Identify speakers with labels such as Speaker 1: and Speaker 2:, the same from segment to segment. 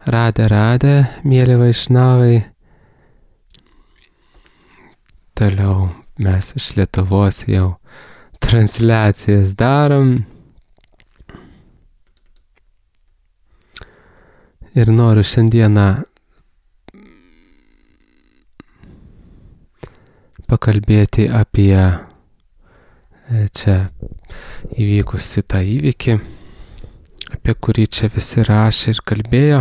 Speaker 1: Radę, mėly vaišnavai. Toliau mes iš Lietuvos jau transliacijas darom. Ir noriu šiandieną pakalbėti apie čia įvykusi tą įvykį, apie kurį čia visi rašė ir kalbėjo.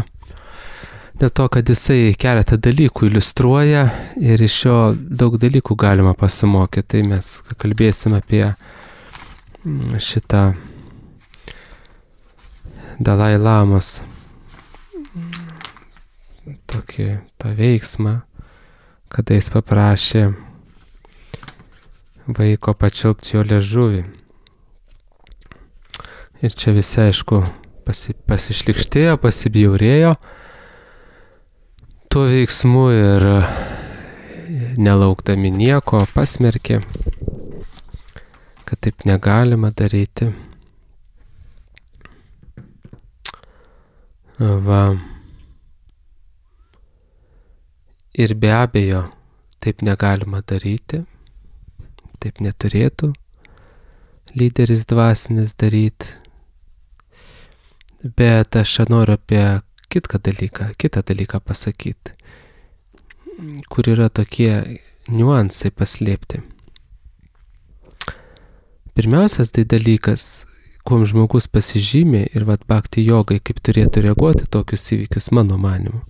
Speaker 1: Dėl to, kad jisai keletą dalykų iliustruoja ir iš jo daug dalykų galima pasimokyti. Tai mes kalbėsim apie šitą Dalai Lamos tokį tą veiksmą, kada jis paprašė vaiko pačiulpti jo liežuvį. Ir čia visi, aišku, pasišlikštėjo, pasibjaurėjo tuo veiksmu ir nelaukdami nieko pasmerkė, kad taip negalima daryti. Va. Ir be abejo, taip negalima daryti, taip neturėtų lyderis dvasinis daryti. Bet aš noriu apie kitą dalyką pasakyti, kur yra tokie niuansai paslėpti. Pirmiausias tai dalykas, kuom žmogus pasižymė ir bhakti jogai, kaip turėtų reaguoti tokius įvykius mano manimu.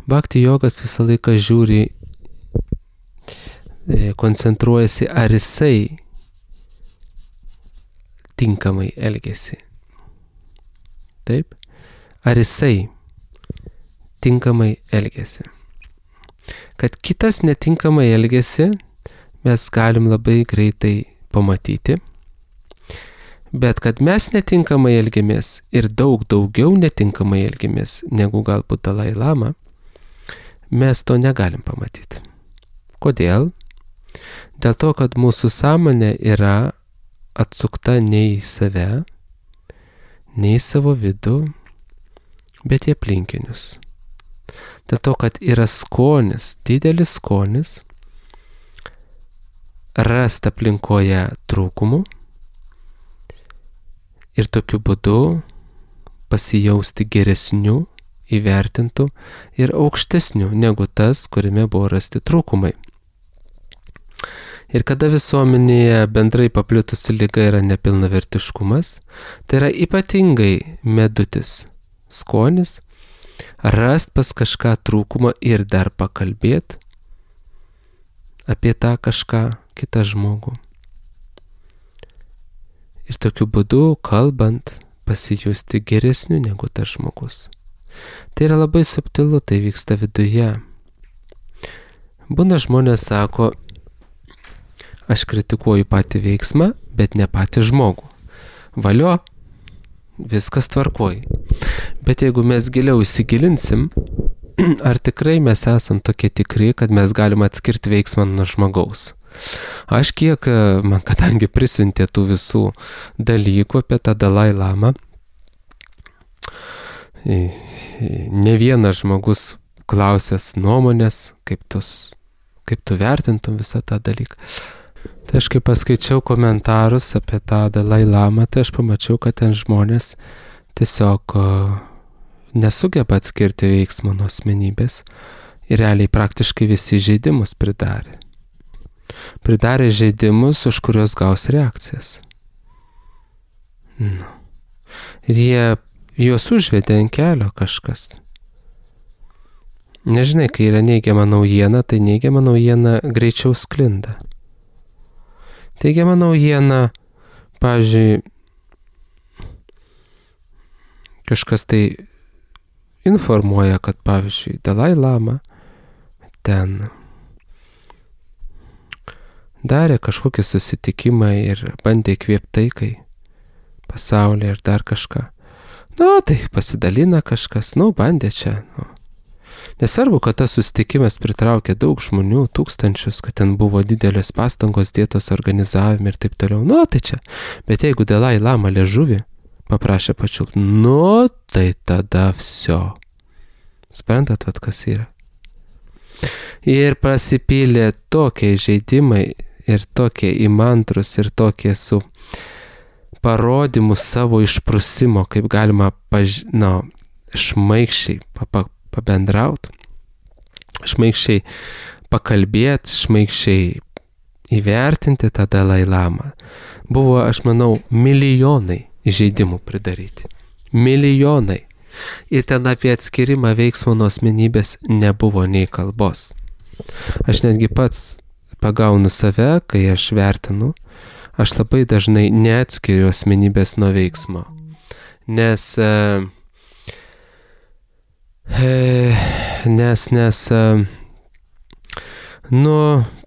Speaker 1: Bhakti jogas visą laiką žiūri, koncentruojasi, ar jisai tinkamai elgesi. Taip? Ar jisai tinkamai elgesi. Kad kitas netinkamai elgesi, mes galim labai greitai pamatyti. Bet kad mes netinkamai elgiamės ir daugiau netinkamai elgiamės negu galbūt Dalai Lama, mes to negalim pamatyti. Kodėl? Dėl to, kad mūsų sąmonė yra atsukta ne į save, ne į savo vidų, bet į aplinkinius. Dėl to, kad yra skonis, didelis skonis, rasti aplinkoje trūkumų ir tokiu būdu pasijausti geresniu, įvertintų ir aukštesniu negu tas, kuriame buvo rasti trūkumai. Ir kada visuomenėje bendrai paplitusi liga yra nepilnavertiškumas, tai yra ypatingai medutis skonis, rast pas kažką trūkumą ir dar pakalbėti apie tą kažką kitą žmogų. Ir tokiu būdu, kalbant, pasijusti geresniu negu tas žmogus. Tai yra labai subtilu, tai vyksta viduje. Būna žmonės sako, aš kritikuoju patį veiksmą, bet ne patį žmogų. Valio, viskas tvarkoj. Bet jeigu mes giliau įsigilinsim, ar tikrai mes esam tokie tikri, kad mes galim atskirti veiksmą nuo žmogaus. Aš kiek, man kadangi prisiuntė tų visų dalykų apie tą Dalai Lamą, ne vienas žmogus klausęs nuomonės, kaip tu vertintum visą tą dalyką. Tai aš kai paskaičiau komentarus apie tą Dalai Lamą, tai aš pamačiau, kad ten žmonės tiesiog nesugeba atskirti veiksmo nuo asmenybės ir realiai praktiškai visi žaidimus pridarė. Pridarė žaidimus, už kuriuos gaus reakcijas. Ir juos užvedė ant kelio kažkas. Nežinai, kai yra neigiama naujiena, tai neigiama naujiena greičiau sklinda. Teigiama naujiena, pavyzdžiui, kažkas tai informuoja, kad, pavyzdžiui, Dalai Lama ten darė kažkokį susitikimą ir bandė įkvėpti taikai pasaulyje ir dar kažką. Tai pasidalina kažkas, bandė čia. Nesvarbu, kad tas susitikimas pritraukė daug žmonių, tūkstančius, kad ten buvo didelės pastangos dėtos organizavime ir taip toliau. Tai čia. Bet jeigu Dalai Lama liežuvį paprašė pačiulpti. Nu, tai tada всё. Suprantat, kas yra. Ir pasipylė tokie žaidimai ir tokie įmantrus ir tokie su parodymu savo išprusimo, kaip galima šmaikščiai pabendrauti, šmaikščiai pakalbėti, šmaikščiai įvertinti tą Dalai Lamą. Buvo, aš manau, milijonai žaidimų pridaryti. Milijonai. Ir ten apie atskirimą veiksmo nuo asmenybės nebuvo nei kalbos. Aš netgi pats pagaunu save, kai aš vertinu, aš labai dažnai neatskiriu asmenybės nuo veiksmo. Nes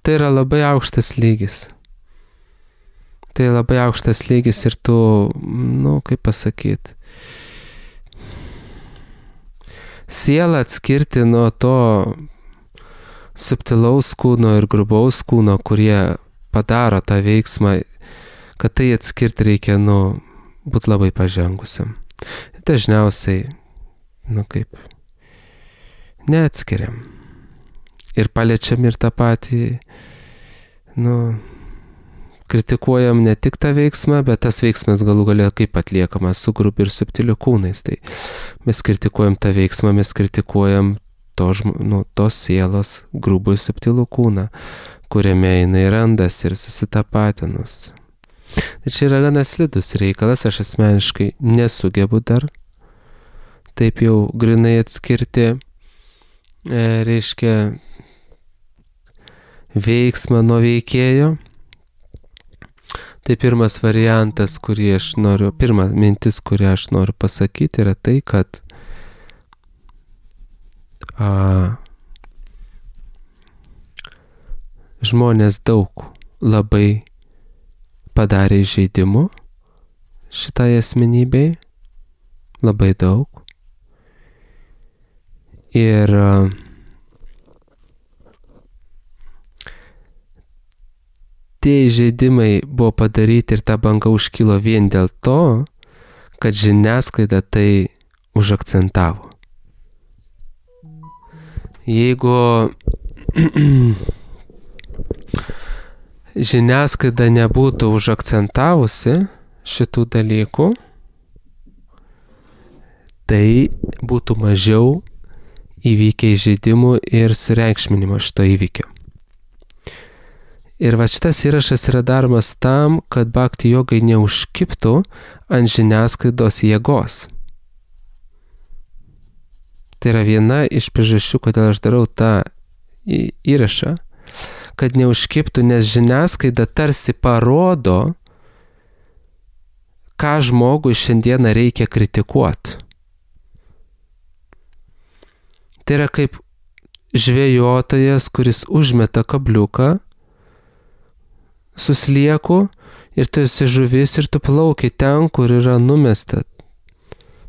Speaker 1: tai yra labai aukštas lygis. Tai labai aukštas lygis ir tu, kaip pasakyti, sielą atskirti nuo to subtilaus kūno ir grubaus kūno, kurie padaro tą veiksmą, kad tai atskirti reikia, būti labai pažengusiam. Dažniausiai, neatskiriam. Ir paliečiam ir tą patį, kritikuojam ne tik tą veiksmą, bet tas veiksmas galų galia kaip atliekamas su grubiu ir subtiliu kūnais. Tai mes kritikuojam tą veiksmą, mes kritikuojam tos sielos grubų ir subtilų kūną, kuriame jinai randasi ir susitapatinus. Tai čia yra gana slidus reikalas, aš asmeniškai nesugebu dar taip jau grinai atskirti, reiškia, veiksmą nuo veikėjo. Tai pirmas variantas, pirma mintis, kurią aš noriu pasakyti, yra tai, kad žmonės daug labai padarė žaidimų šitai asmenybei, labai daug. Ir tie žaidimai buvo padaryti ir ta banga užkilo vien dėl to, kad žiniasklaida tai užakcentavo. Jeigu žiniasklaida nebūtų užakcentavusi šitų dalykų, tai būtų mažiau įvykę žaidimų ir sureikšminimo šito įvykio. Ir va šitas įrašas yra daromas tam, kad bhakti jogai neužkibtų ant žiniasklaidos jėgos. Tai yra viena iš priežasčių, kodėl aš darau tą įrašą, kad neužkibtų, nes žiniasklaida tarsi parodo, ką žmogui šiandieną reikia kritikuoti. Tai yra kaip žvejotojas, kuris užmeta kabliuką su slieku ir tu esi žuvis ir tu plauki ten, kur yra numesta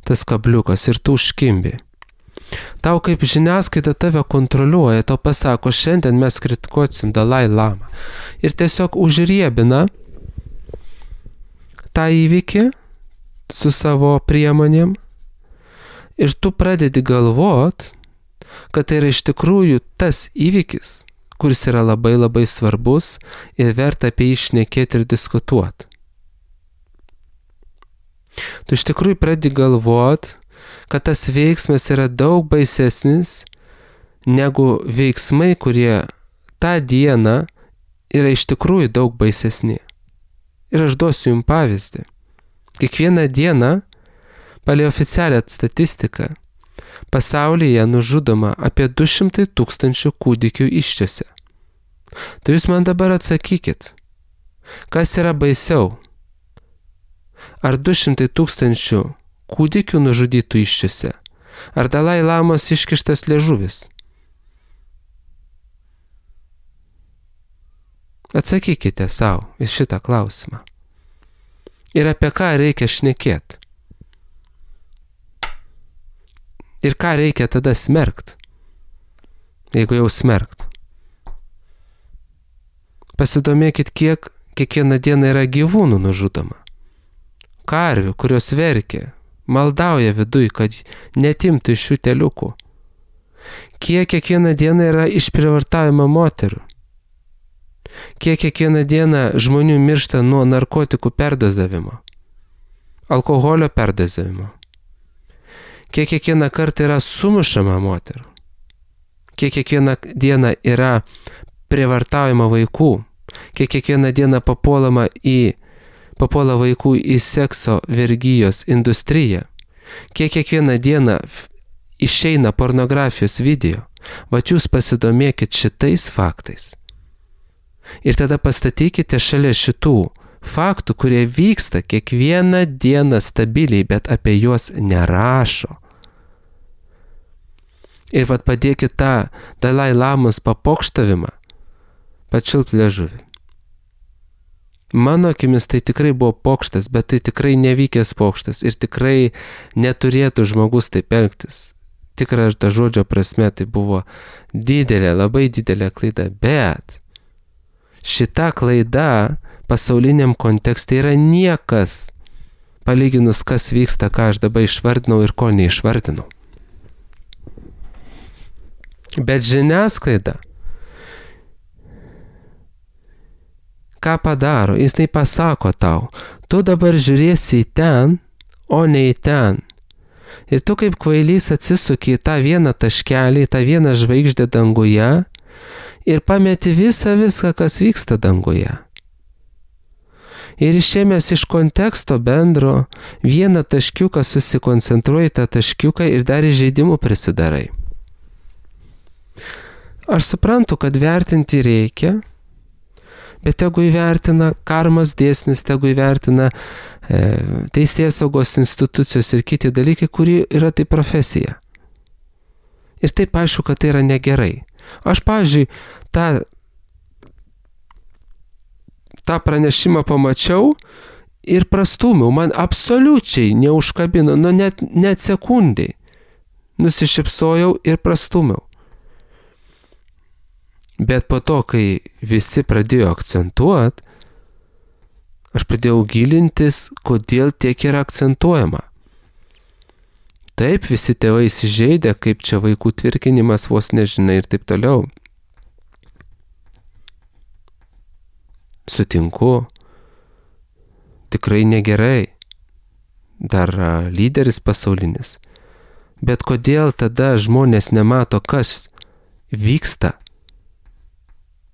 Speaker 1: tas kabliukas ir tu užkimbi. Tau kaip žiniasklaida tave kontroliuoja, tau pasako, šiandien mes kritikuosim Dalai Lamą. Ir tiesiog užriebina tą įvykį su savo priemonėm ir tu pradedi galvot, kad tai yra iš tikrųjų tas įvykis, kuris yra labai labai svarbus ir verta apie jį šnekėti ir diskutuoti. Tu iš tikrųjų pradedi galvot, kad tas veiksmas yra daug baisesnis negu veiksmai, kurie tą dieną yra iš tikrųjų daug baisesni. Ir aš duosiu jums pavyzdį. Kiekvieną dieną, pagal oficialią statistiką, pasaulyje nužudoma apie 200 000 kūdikių įsčiose. Tai jūs man dabar atsakykit, kas yra baisiau? Ar 200 000 kūdikių nužudytų įsčiose? Ar Dalai Lamos iškištas liežuvis? Atsakykite savo į šitą klausimą. Ir apie ką reikia šnekėti? Ir ką reikia tada smerkt? Jeigu jau smerkt. Pasidomėkit, kiek kiekvieną dieną yra gyvūnų nužudoma. karvių, kurios verkia, maldauja viduj, kad netimtų iš šių teliukų. Kiek kiekvieną dieną yra išprievartavimo moterų. Kiek kiekvieną dieną žmonių miršta nuo narkotikų perdozavimo, alkoholio perdozavimo. Kiek kiekvieną kartą yra sumušama moterų. Kiek kiekvieną dieną yra prievartaujama vaikų. Kiek kiekvieną dieną papuola vaikų į sekso vergijos industriją. Kiek kiekvieną dieną išeina pornografijos video. Vat jūs pasidomėkit šitais faktais. Ir tada pastatykite šalia šitų faktų, kurie vyksta kiekvieną dieną stabiliai, bet apie juos nerašo. Ir vat padėkit tą Dalai Lamos papokštavimą, pačiulp liežuvį. Mano akimis tai tikrai buvo pokštas, bet tai tikrai nevykęs pokštas ir tikrai neturėtų žmogus taip elgtis. Tikrai ir ta žodžio prasme tai buvo didelė, labai didelė klaida, bet šita klaida pasauliniam kontekste yra niekas, palyginus kas vyksta, ką aš dabar išvardinau ir ko neišvardinau. Bet žiniasklaida, ką padaro, jis tai pasako tau, tu dabar žiūrėsi į ten, o ne į ten. Ir tu kaip kvailys atsisuki į tą vieną taškelį, į tą vieną žvaigždę danguje ir pameti viską, kas vyksta danguje. Ir išėmęs iš konteksto bendro, vieną taškiuką susikoncentruoji tą taškiuką ir dar įžeidimų prisidarai. Aš suprantu, kad vertinti reikia, bet tegu įvertina karmos dėsnis, tegu įvertina teisėsaugos institucijos ir kiti dalykai, kurie yra tai profesija. Ir taip aišku, kad tai yra negerai. Aš, pavyzdžiui, tą pranešimą pamačiau ir prastūmiau, man absoliučiai neužkabino, net sekundai. Nusišypsojau ir prastūmiau. Bet po to, kai visi pradėjo akcentuoti, aš pradėjau gilintis, kodėl tiek yra akcentuojama. Taip, visi tėvai įsižeidė, kaip čia vaikų tvirkinimas vos nežinai ir taip toliau. Sutinku, tikrai negerai, dar lyderis pasaulinis. Bet kodėl tada žmonės nemato, kas vyksta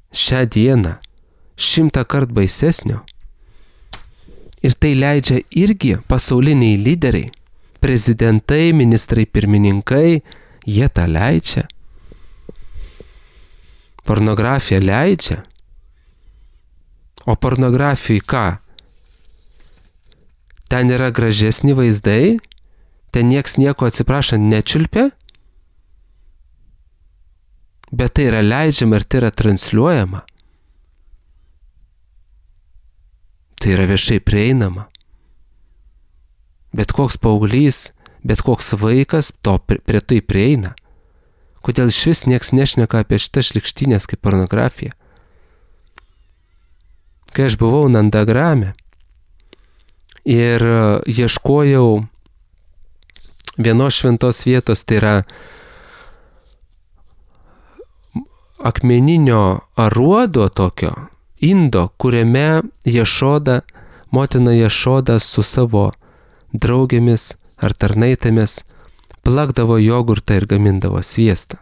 Speaker 1: šią dieną 100 kart baisesnio? Ir tai leidžia irgi pasauliniai lyderiai, prezidentai, ministrai, pirmininkai, jie tą leidžia. Pornografija leidžia. O pornografijai ką? Ten yra gražesni vaizdai, ten nieks nieko atsiprašant nečiulpia, bet tai yra leidžiama ir tai yra transliuojama. Tai yra viešai prieinama. Bet koks paauglys, bet koks vaikas prie tai prieina. Kodėl išvis nieks nešneka apie šitas šlykštynės kaip pornografija? Kai aš buvau Nandagrame ir ieškojau vienos šventos vietos, tai yra akmeninio aruodo tokio, indo, kuriame motina Ješoda su savo draugėmis ar tarnaitėmis plakdavo jogurtą ir gamindavo sviestą.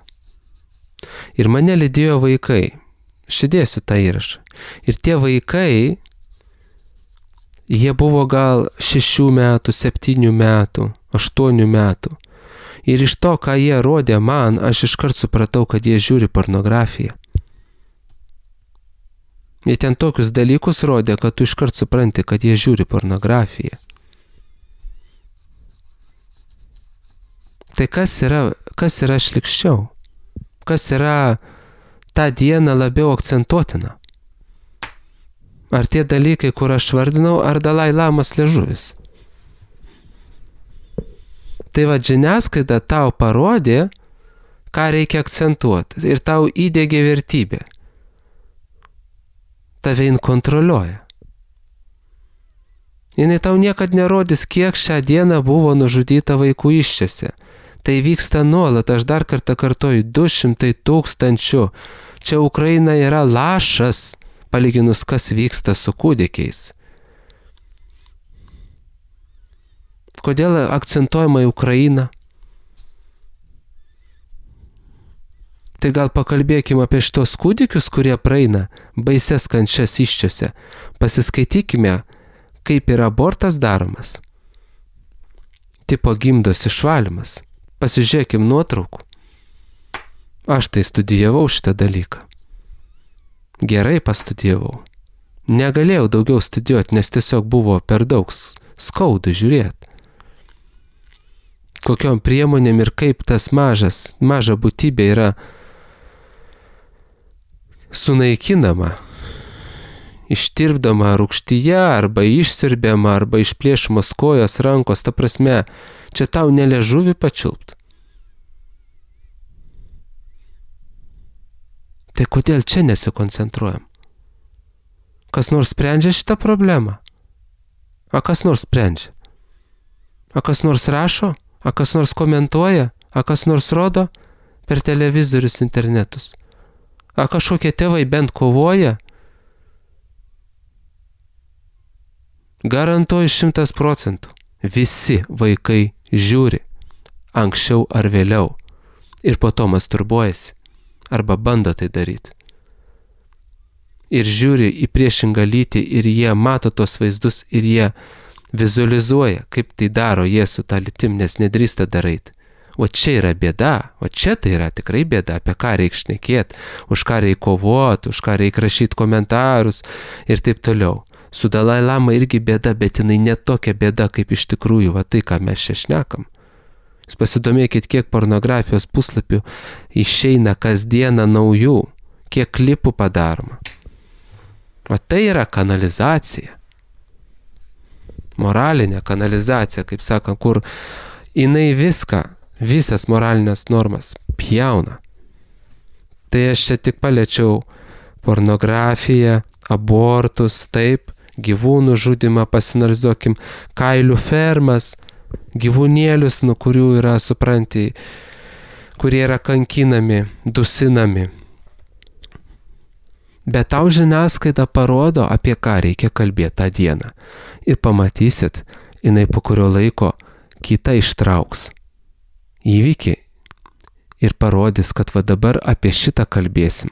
Speaker 1: Ir mane lydėjo vaikai. Šidėsiu tą įrašą. Ir tie vaikai, jie buvo gal 6 metų, 7 metų, 8 metų. Ir iš to, ką jie rodė man, aš iškart supratau, kad jie žiūri pornografiją. Jie ten tokius dalykus rodė, kad tu iškart supranti, kad jie žiūri pornografiją. Tai kas yra šlykščiau? Kas yra tą dieną labiau akcentuotina? Ar tie dalykai, kur aš vardinau, ar Dalai Lamos liežuvis? Tai va, žiniasklaida tau parodė, ką reikia akcentuoti ir tau įdiegė vertybę. Tave kontroliuoja. Jinai tau niekad nerodys, kiek šią dieną buvo nužudyta vaikų iščiose. Tai vyksta nuolat, aš dar kartą kartoju, 200 000. Čia Ukraina yra lašas, palyginus kas vyksta su kūdikiais. Kodėl akcentuojama į Ukrainą? Tai gal pakalbėkime apie šitos kūdikius, kurie praeina baises kančias iščiose. Pasiskaitykime, kaip yra abortas daromas. Tipo gimdos išvalymas. Pasižiūrėkim nuotraukų. Aš tai studijavau šitą dalyką. Gerai pastudijavau. Negalėjau daugiau studijuoti, nes tiesiog buvo per daug skaudu žiūrėti. Kokiom priemonėm ir kaip tas maža būtybė yra sunaikinama, ištirpdama rūgštyje, arba išsiurbiama, arba išplėšamos kojos, rankos, ta prasme, čia tau neliežuvį pačiulpt. Tai kodėl čia nesikoncentruojam? Kas nors sprendžia šitą problemą? A kas nors sprendžia? A kas nors rašo? A kas nors komentuoja? A kas nors rodo per televizorius, internetus? A kažkokie tėvai bent kovoja? Garantuoju 100%. Visi vaikai žiūri anksčiau ar vėliau ir po to masturbuojasi arba bando tai daryti. Ir žiūri į priešingą lytį ir jie mato tos vaizdus ir jie vizualizuoja, kaip tai daro jie su tą lytim, nes nedrįsta daryti. O čia yra bėda, o čia tai yra tikrai bėda, apie ką reikia šnekėti, už ką reikia kovoti, už ką reikia rašyti komentarus ir taip toliau. Su Dalai Lama irgi bėda, bet jinai ne tokia bėda, kaip iš tikrųjų, va tai, ką mes čia šnekam. Jūs pasidomėkit, kiek pornografijos puslapių išeina kasdieną naujų, kiek klipų padaroma. O tai yra kanalizacija. Moralinė kanalizacija, kaip sakant, kur jinai visas moralinės normas pjauna. Tai aš čia tik paliečiau pornografiją, abortus, taip, gyvūnų žudimą, pasinalizuokim, kailių fermas, gyvūnėlius, nuo kurių yra, supranti, kurie yra kankinami, dusinami. Bet tau žiniasklaida parodo, apie ką reikia kalbėti tą dieną. Ir pamatysit, jinai po kurio laiko kitą ištrauks įvykį ir parodys, kad va dabar apie šitą kalbėsim.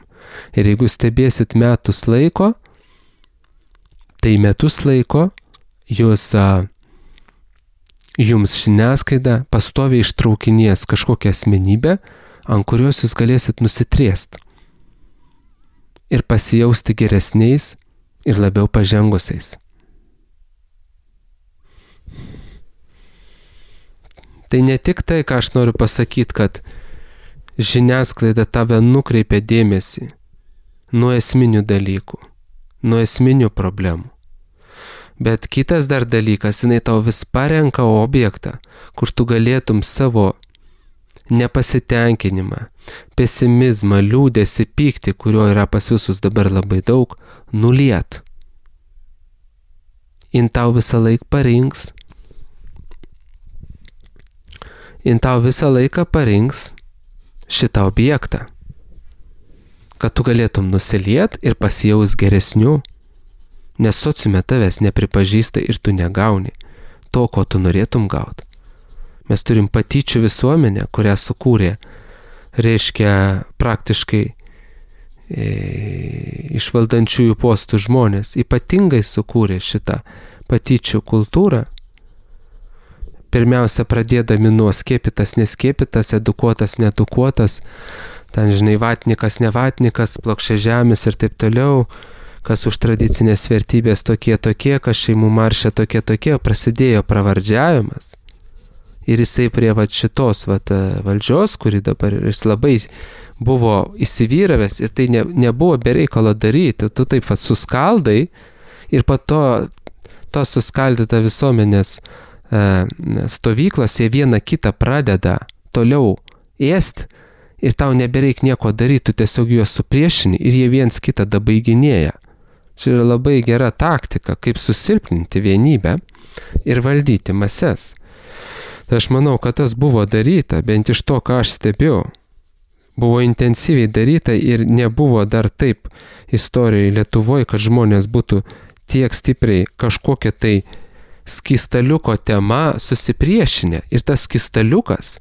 Speaker 1: Ir jeigu stebėsit metus laiko, tai metus laiko jums žiniasklaida pastoviai ištraukinės kažkokią asmenybę, ant kurios jūs galėsit nusitriest ir pasijausti geresniais ir labiau pažengusiais. Tai ne tik tai, ką aš noriu pasakyti, kad žiniasklaida tave nukreipia dėmesį nuo esminių dalykų, nuo esminių problemų. Bet kitas dar dalykas, jinai tau vis parenka objektą, kur tu galėtum savo nepasitenkinimą, pesimizmą, liūdesį, pyktį, kurio yra pas visus dabar labai daug, nuliet. Jin tau visą laiką parinks. Jin tau visą laiką parinks šitą objektą, kad tu galėtum nusiliet ir pasijaus geresnių, nes sociume tavęs nepripažįsta ir tu negauni to, ko tu norėtum gauti. Mes turim patyčių visuomenę, kurią sukūrė, reiškia praktiškai iš valdančiųjų postų žmonės, ypatingai sukūrė šitą patyčių kultūrą. Pirmiausia, pradėdami nuo skiepytas, neskiepytas, edukuotas, needukuotas, ten, žinai, vatnikas, nevatnikas, plokščiažemis ir taip toliau, kas už tradicinės vertybės tokie, kas šeimų maršė tokie, prasidėjo pravardžiavimas. Ir jisai prie šitos valdžios, kuri dabar jis labai buvo įsivyravęs ir tai nebuvo bereikalo daryti, tu taip suskaldai ir po to suskaldyta visuomenės stovyklos, jie vieną kitą pradeda toliau ėst ir tau nebereik nieko daryti, tu tiesiog juos supriešini ir jie viens kitą dabaiginėja. Čia yra labai gera taktika, kaip susilpninti vienybę ir valdyti mases. Tai aš manau, kad tas buvo daryta, bent iš to, ką aš stebėjau. Buvo intensyviai daryta ir nebuvo dar taip istorijoje Lietuvoje, kad žmonės būtų tiek stipriai kažkokia tai skystaliuko tema susipriešinę. Ir tas skystaliukas,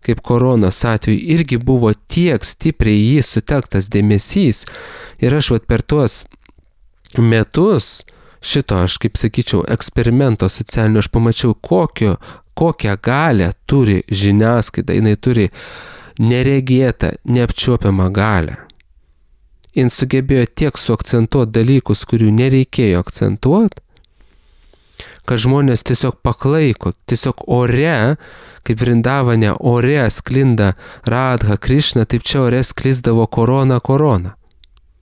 Speaker 1: kaip koronos atveju, irgi buvo tiek stipriai jį sutelktas dėmesys. Ir aš per tuos metus šito, aš kaip sakyčiau, eksperimento socialinio, aš pamačiau, kokią galią turi žiniasklaida. Jinai turi neregėtą, neapčiuopiamą galią. Jis sugebėjo tiek suakcentuoti dalykus, kurių nereikėjo akcentuoti, kad žmonės tiesiog paklaiko, tiesiog ore, kaip Vrindavane ore sklinda Radha Krišna, taip čia ore sklisdavo korona.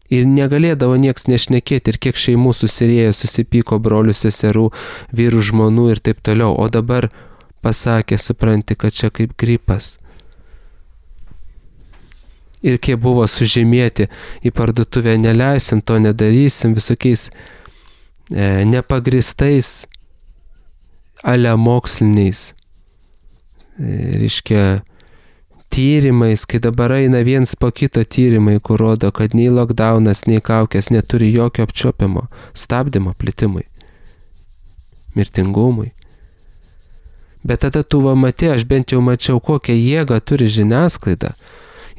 Speaker 1: Ir negalėdavo nieks nešnekėti, ir kiek šeimų susirėjo, susipyko brolių, seserų, vyrų, žmonų ir taip toliau. O dabar pasakė, supranti, kad čia kaip gripas. Ir kiek buvo sužymėti į parduotuvę, neleisim, to nedarysim, visokiais nepagristais, alemoksliniais, reiškia, tyrimais, kai dabar eina viens po kito tyrimai, kur rodo, kad nei lockdownas, nei kaukės neturi jokio apčiuopiamo stabdymo plitimui, mirtingumui. Bet tada tu matė, aš bent jau mačiau, kokią jėgą turi žiniasklaida.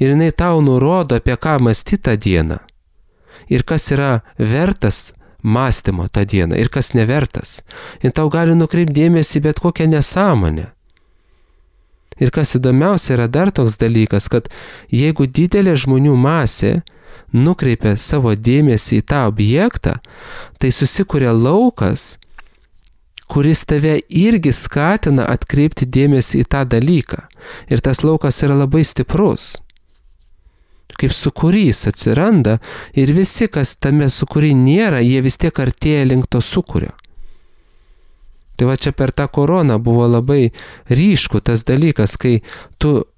Speaker 1: Ir jinai tau nurodo, apie ką mąstyti tą dieną. Ir kas yra vertas mąstymo tą dieną, ir kas nevertas. Ir tau gali nukreipti dėmesį bet kokią nesąmonę. Ir kas įdomiausia yra dar toks dalykas, kad jeigu didelė žmonių masė nukreipia savo dėmesį į tą objektą, tai susikuria laukas, kuris tave irgi skatina atkreipti dėmesį į tą dalyką. Ir tas laukas yra labai stiprus. Kaip sūkurys atsiranda ir visi, kas tame sūkury nėra, jie vis tiek artėja link to sūkurio. Tai va čia per tą koroną buvo labai ryšku tas dalykas, kai tu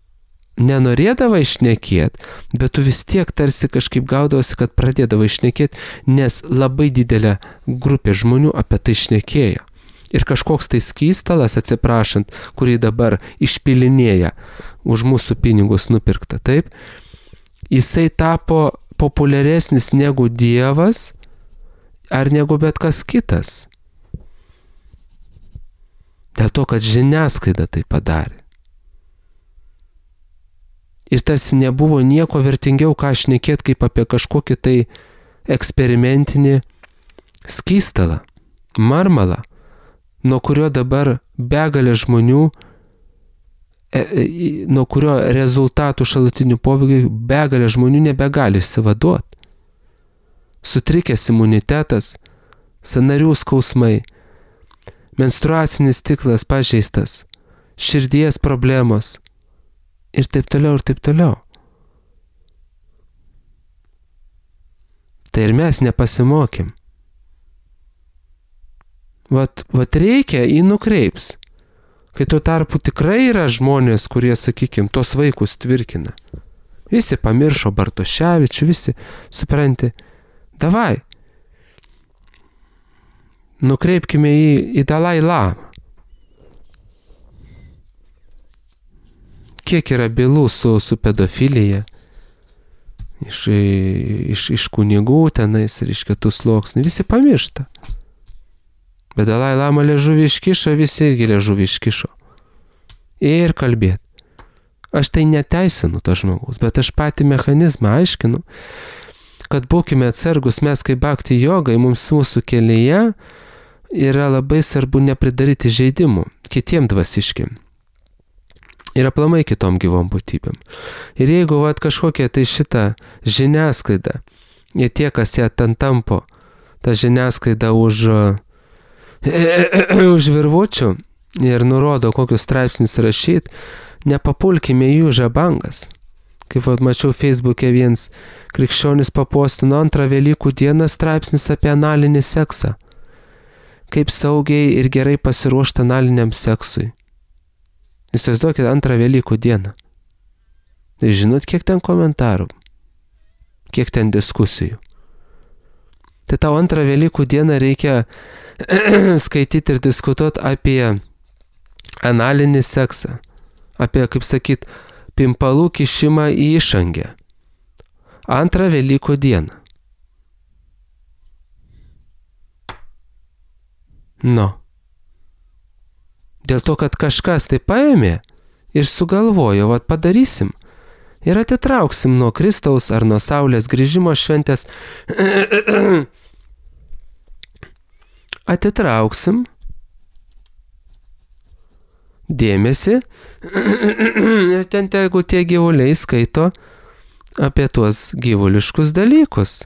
Speaker 1: nenorėdavai šnekėti, bet tu vis tiek tarsi kažkaip gaudavosi, kad pradėdavai šnekėti, nes labai didelė grupė žmonių apie tai šnekėjo. Ir kažkoks tai skystalas, atsiprašant, kurį dabar išpilinėja už mūsų pinigus nupirkta, taip, jisai tapo populiaresnis negu Dievas ar negu bet kas kitas. Dėl to, kad žiniasklaida tai padarė. Ir tas nebuvo nieko vertingiau, ką šnekėti, kaip apie kažkokį tai eksperimentinį skystalą, marmalą, nuo kurio dabar begalė žmonių, nuo kurio rezultatų šalutinių poveikių begalė žmonių nebegali išsivaduoti. Sutrikęs imunitetas, sąnarių skausmai, menstruacinis ciklas pažeistas, širdies problemos ir taip toliau, ir taip toliau. Tai ir mes nepasimokėm. Vat reikia, jį nukreips. Kai tuo tarpu tikrai yra žmonės, kurie, sakykime, tos vaikus tvirkina. Visi pamiršo Bartoševičių, visi, supranti, davai, nukreipkime į Dalai Lamą. Kiek yra bylų su pedofilija, iš kunigų tenais ir iš kitų sluoksnių, visi pamiršta. Bet Dalai Lama liežuvį iškišo, visi irgi liežuvį iškišo. Ir kalbėt. Aš tai neteisinu to žmogaus, bet aš patį mechanizmą aiškinu, kad būkime atsargus, mes kaip bhakti jogai, mums mūsų kelyje yra labai svarbu nepridaryti žaidimų kitiem dvasiškiam. Ir aplamai kitom gyvom būtybėm. Ir jeigu kažkokia tai šita žiniasklaida, ir tie, kas ją ten tampo, ta žiniasklaida už virvučių ir nurodo, kokius straipsnius rašyti, nepapulkime jų žabangas. Kaip mačiau Facebook'e vienas krikščionis papostino 2 Velykų dieną straipsnis apie analinį seksą. Kaip saugiai ir gerai pasiruošti analiniam seksui. Įsivaizduokit 2 Velykų dieną. Tai žinot, kiek ten komentarų, kiek ten diskusijų. Tai tau antrą Velykų dieną reikia skaityti ir diskutuoti apie analinį seksą, apie, kaip sakyt, pimpalų kišimą į išangę. Antrą Velykų dieną. Dėl to, kad kažkas tai paėmė ir sugalvojo, vat padarysim. Ir atitrauksim nuo Kristaus ar nuo Saulės grįžimo šventės. Atitrauksim dėmesį ir ten tegu tie gyvuliai skaito apie tuos gyvuliškus dalykus.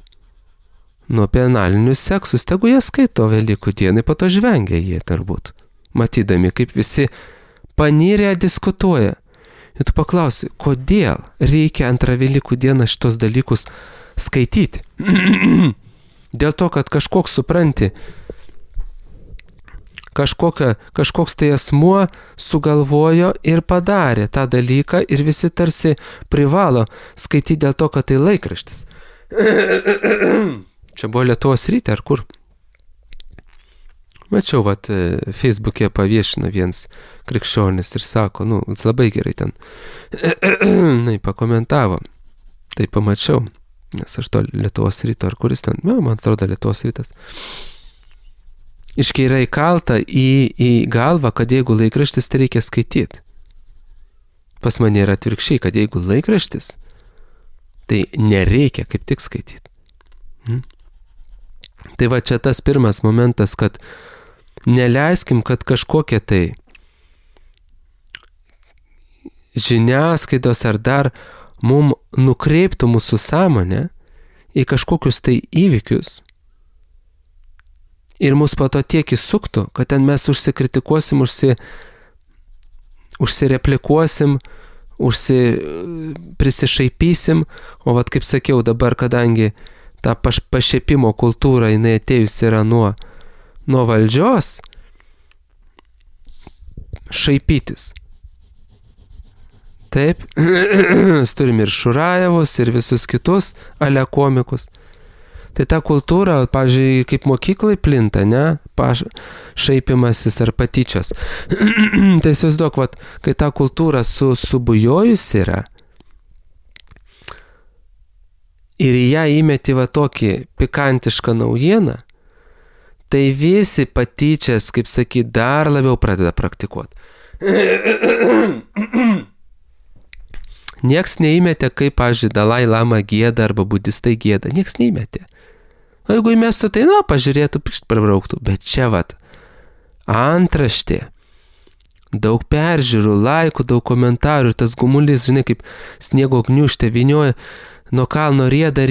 Speaker 1: Nu, apie analinius seksus, tegu jie skaito Velykų dienai, po to žvengia jie turbūt, matydami, kaip visi panirę diskutuoja. Ir tu paklausi, kodėl reikia antrą Velykų dieną šitos dalykus skaityti? Dėl to, kad kažkoks supranti, kažkoks tai asmuo sugalvojo ir padarė tą dalyką ir visi tarsi privalo skaityti dėl to, kad tai laikraštis. Čia buvo Lietuvos ryte ar kur? Mačiau, vat, Facebook'e paviešino vienas krikščionis ir sako, jis labai gerai ten pakomentavo. Tai pamačiau, nes aš to Lietuvos ryto ar kuris ten, man atrodo Lietuvos rytas. Iškai yra įkalta į galvą, kad jeigu laikraštis, tai reikia skaityti. Pas mane yra atvirkščiai, kad jeigu laikraštis, tai nereikia kaip tik skaityti. Tai va čia tas pirmas momentas, kad neleiskim, kad kažkokie tai žiniasklaidos ar dar mum nukreiptų mūsų sąmonę į kažkokius tai įvykius ir mus po to tiek įsuktų, kad ten mes užsikritikuosim, užsireplikuosim, prisišaipysim, o vat kaip sakiau dabar, kadangi ta pašiepimo kultūra, jinai atėjus yra nuo valdžios, šaipytis. Taip, turim ir Šurajevus, ir visus kitus alekomikus. Tai ta kultūra, pavyzdžiui, kaip mokyklai plinta, ne? Šaipimasis ar patyčios. Tai įsivaizduok, vat, kai ta kultūra subujojus yra, ir į ją įmeti va tokį pikantišką naujieną, tai visi patyčias, kaip sakyt, dar labiau pradeda praktikuoti. Nieks neįmetė, kaip, pavyzdžiui, Dalai Lama gieda arba budistai gieda. Nieks neįmetė. O jeigu įmestų, tai, pažiūrėtų, prabrauktų. Bet čia, vat, antraštė, daug peržiūrų, laikų, daug komentarų, tas gumulis, žinai, kaip sniego gniūžtė vynioja, nuo kalno rieda,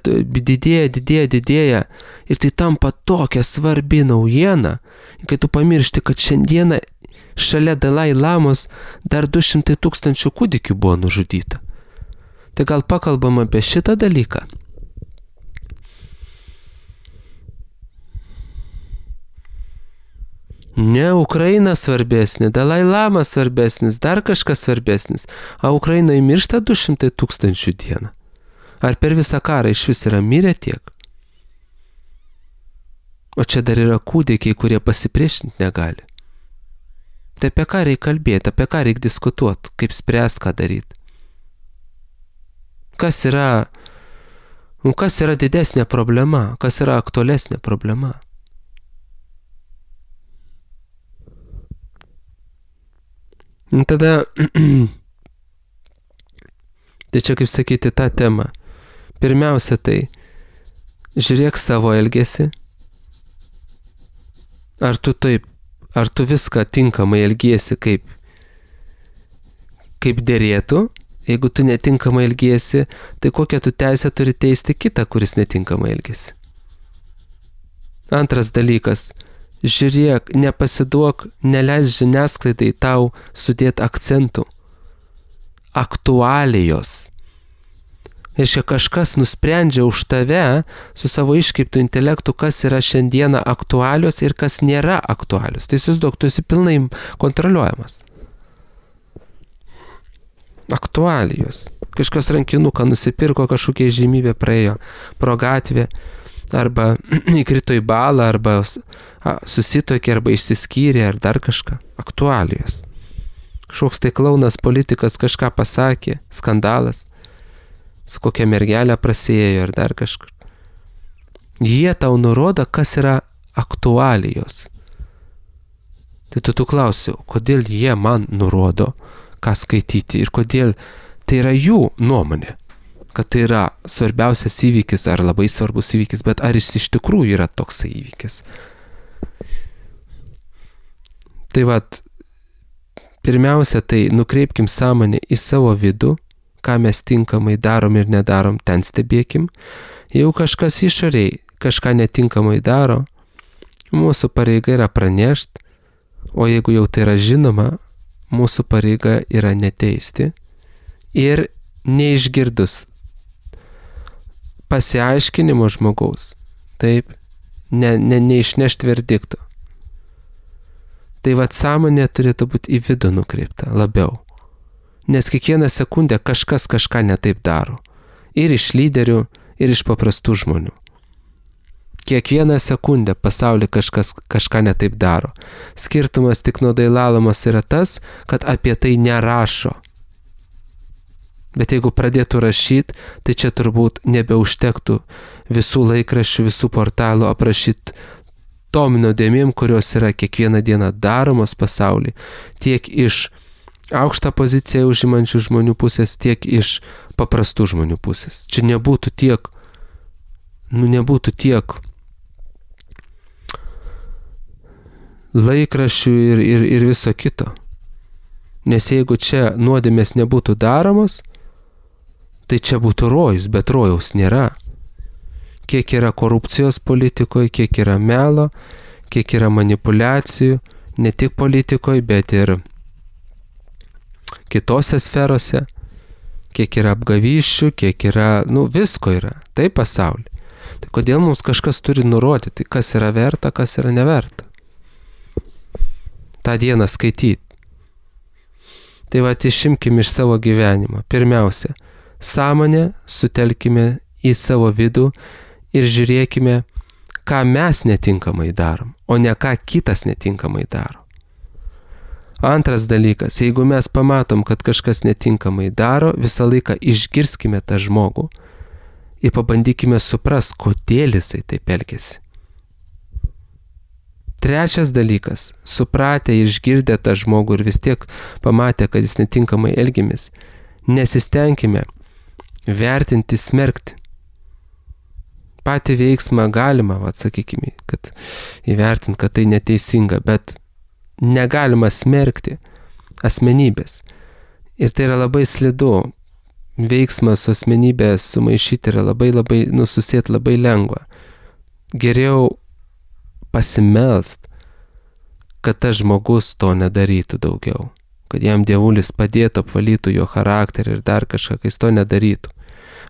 Speaker 1: didėja. Ir tai tampa tokia svarbi naujiena, kai tu pamiršti, kad šiandieną šalia Dalai Lamos dar 200 000 kūdikių buvo nužudyta. Tai gal pakalbam apie šitą dalyką? Ne, Ukraina svarbesnė, Dalai Lama svarbesnis, dar kažkas svarbesnis. A Ukrainai miršta 200 000 dieną. Ar per visą karą iš vis yra mirę tiek? O čia dar yra kūdikiai, kurie pasipriešinti negali. Tai apie ką reikia kalbėti, apie ką reikia diskutuoti, kaip spręsti, ką daryti. Kas yra didesnė problema, kas yra aktualesnė problema? Tada, tai čia kaip sakyti tą temą. Pirmiausia tai, žiūrėk savo elgesį. Ar tu viską tinkamai elgiesi kaip derėtų? Jeigu tu netinkamai elgiesi, tai kokią tu teisę turi teisti kitą, kuris netinkamai elgiesi? Antras dalykas. Žiūrėk, nepasiduok, neleis žiniasklaidai tau sudėti akcentų. Aktualijos. Reiškia, kažkas nusprendžia už tave su savo iškreiptu intelektu, kas yra šiandieną aktualios ir kas nėra aktualios. Tai įsivaizduok, tu esi pilnai kontroliuojamas. Aktualijos. Kažkas rankinuką nusipirko, kažkokia žymybė praėjo pro gatvę. arba įkrito į balą, arba susitokė, arba išsiskyrė, ar dar kažką. Aktualijos. Kažkoks tai klaunas politikas kažką pasakė, skandalas, su kokia mergelė prasiėjo, ar dar kažkur. Jie tau nurodo, kas yra aktualijos. Tai tu klausi, kodėl jie man nurodo, ką skaityti ir kodėl tai yra jų nuomonė, kad tai yra svarbiausias įvykis ar labai svarbus įvykis, bet ar jis iš tikrųjų yra toksai įvykis. Tai vat, pirmiausia, tai nukreipkim sąmonę į savo vidų, ką mes tinkamai darom ir nedarom, ten stebėkim. Jeigu kažkas išoriai kažką netinkamai daro, mūsų pareiga yra pranešti, o jeigu jau tai yra žinoma, mūsų pareiga yra neteisti ir neišgirdus pasiaiškinimo žmogaus, taip, neišnešti verdikto. Tai vat sąmonė turėtų būti į vidų nukreipta labiau. Nes kiekvieną sekundę kažkas kažką netaip daro. Ir iš lyderių, ir iš paprastų žmonių. Kiekvieną sekundę pasaulyje kažkas kažką netaip daro. Skirtumas tik nuo Dalai-Lamos yra tas, kad apie tai nerašo. Bet jeigu pradėtų rašyti, tai čia turbūt nebeužtektų visų laikraščių, visų portalų aprašyti tom nuodėmėm, kurios yra kiekvieną dieną daromos pasaulyje, tiek iš aukštą poziciją užimančių žmonių pusės, tiek iš paprastų žmonių pusės. Čia nebūtų tiek laikraščių ir viso kito. Nes jeigu čia nuodėmės nebūtų daromos, tai čia būtų rojus, bet rojaus nėra. Kiek yra korupcijos politikoje, kiek yra melo, kiek yra manipulacijų, ne tik politikoje, bet ir kitose sferose, kiek yra apgavysčių, kiek yra, visko yra, tai pasaulyje. Tai kodėl mums kažkas turi nurodyti, kas yra verta, kas yra neverta? tą dieną skaityti. Tai va, išimkime iš savo gyvenimo. Pirmiausia, sąmonę sutelkime į savo vidų ir žiūrėkime, ką mes netinkamai darom, o ne ką kitas netinkamai daro. Antras dalykas, jeigu mes pamatom, kad kažkas netinkamai daro, visą laiką išgirskime tą žmogų ir pabandykime suprast, kodėl jisai taip elgiasi. Trečias dalykas, supratę ir išgirdę tą žmogų ir vis tiek pamatę, kad jis netinkamai elgiamės, nesistengime vertinti, smerkti. Patį veiksmą galima, sakykime, kad įvertinti, kad tai neteisinga, bet negalima smerkti asmenybės. Ir tai yra labai slidu. Veiksmas su asmenybė sumaišyti yra labai susėti labai lengva. Geriau pasimelst, kad tas žmogus to nedarytų daugiau. Kad jam dievulis padėtų, apvalytų jo charakterį ir dar kažką, kai jis to nedarytų.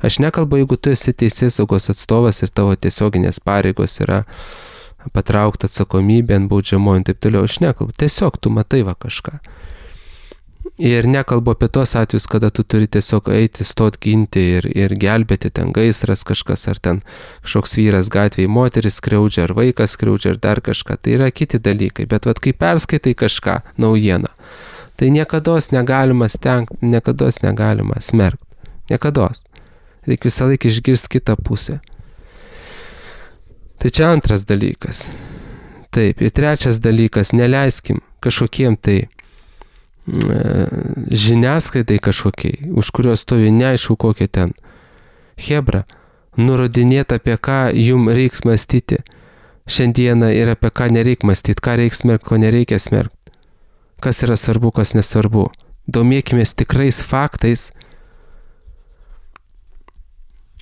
Speaker 1: Aš nekalbu, jeigu tu esi teisėsaugos atstovas ir tavo tiesioginės pareigos yra patraukta atsakomybė ant baudžiamojo ir taip toliau. Aš nekalbu, tiesiog tu matai kažką. Ir nekalbu apie tos atvejus, kada tu turi tiesiog eiti, stot ginti ir gelbėti, ten gaisras kažkas, ar ten kažkoks vyras gatvėje moteris skriaudžia, ar vaikas skriaudžia, ar dar kažką. Tai yra kiti dalykai. Bet kai perskaitai kažką, naujieną, tai niekados negalima stengti, niekados negalima smerkti. Niekados. Reikia visą laiką išgirsti kitą pusę. Tai čia antras dalykas. Taip, ir trečias dalykas, neleiskim kažkokiem tai žiniasklaidai kažkokiai, už kurios stovi neaišku kokia ten hebra, nurodinėti, apie ką jum reiks mąstyti šiandieną ir apie ką nereik mąstyti, ką reiks smerkti, ko nereikia smerkti, kas yra svarbu, kas nesvarbu. Domėkimės tikrais faktais,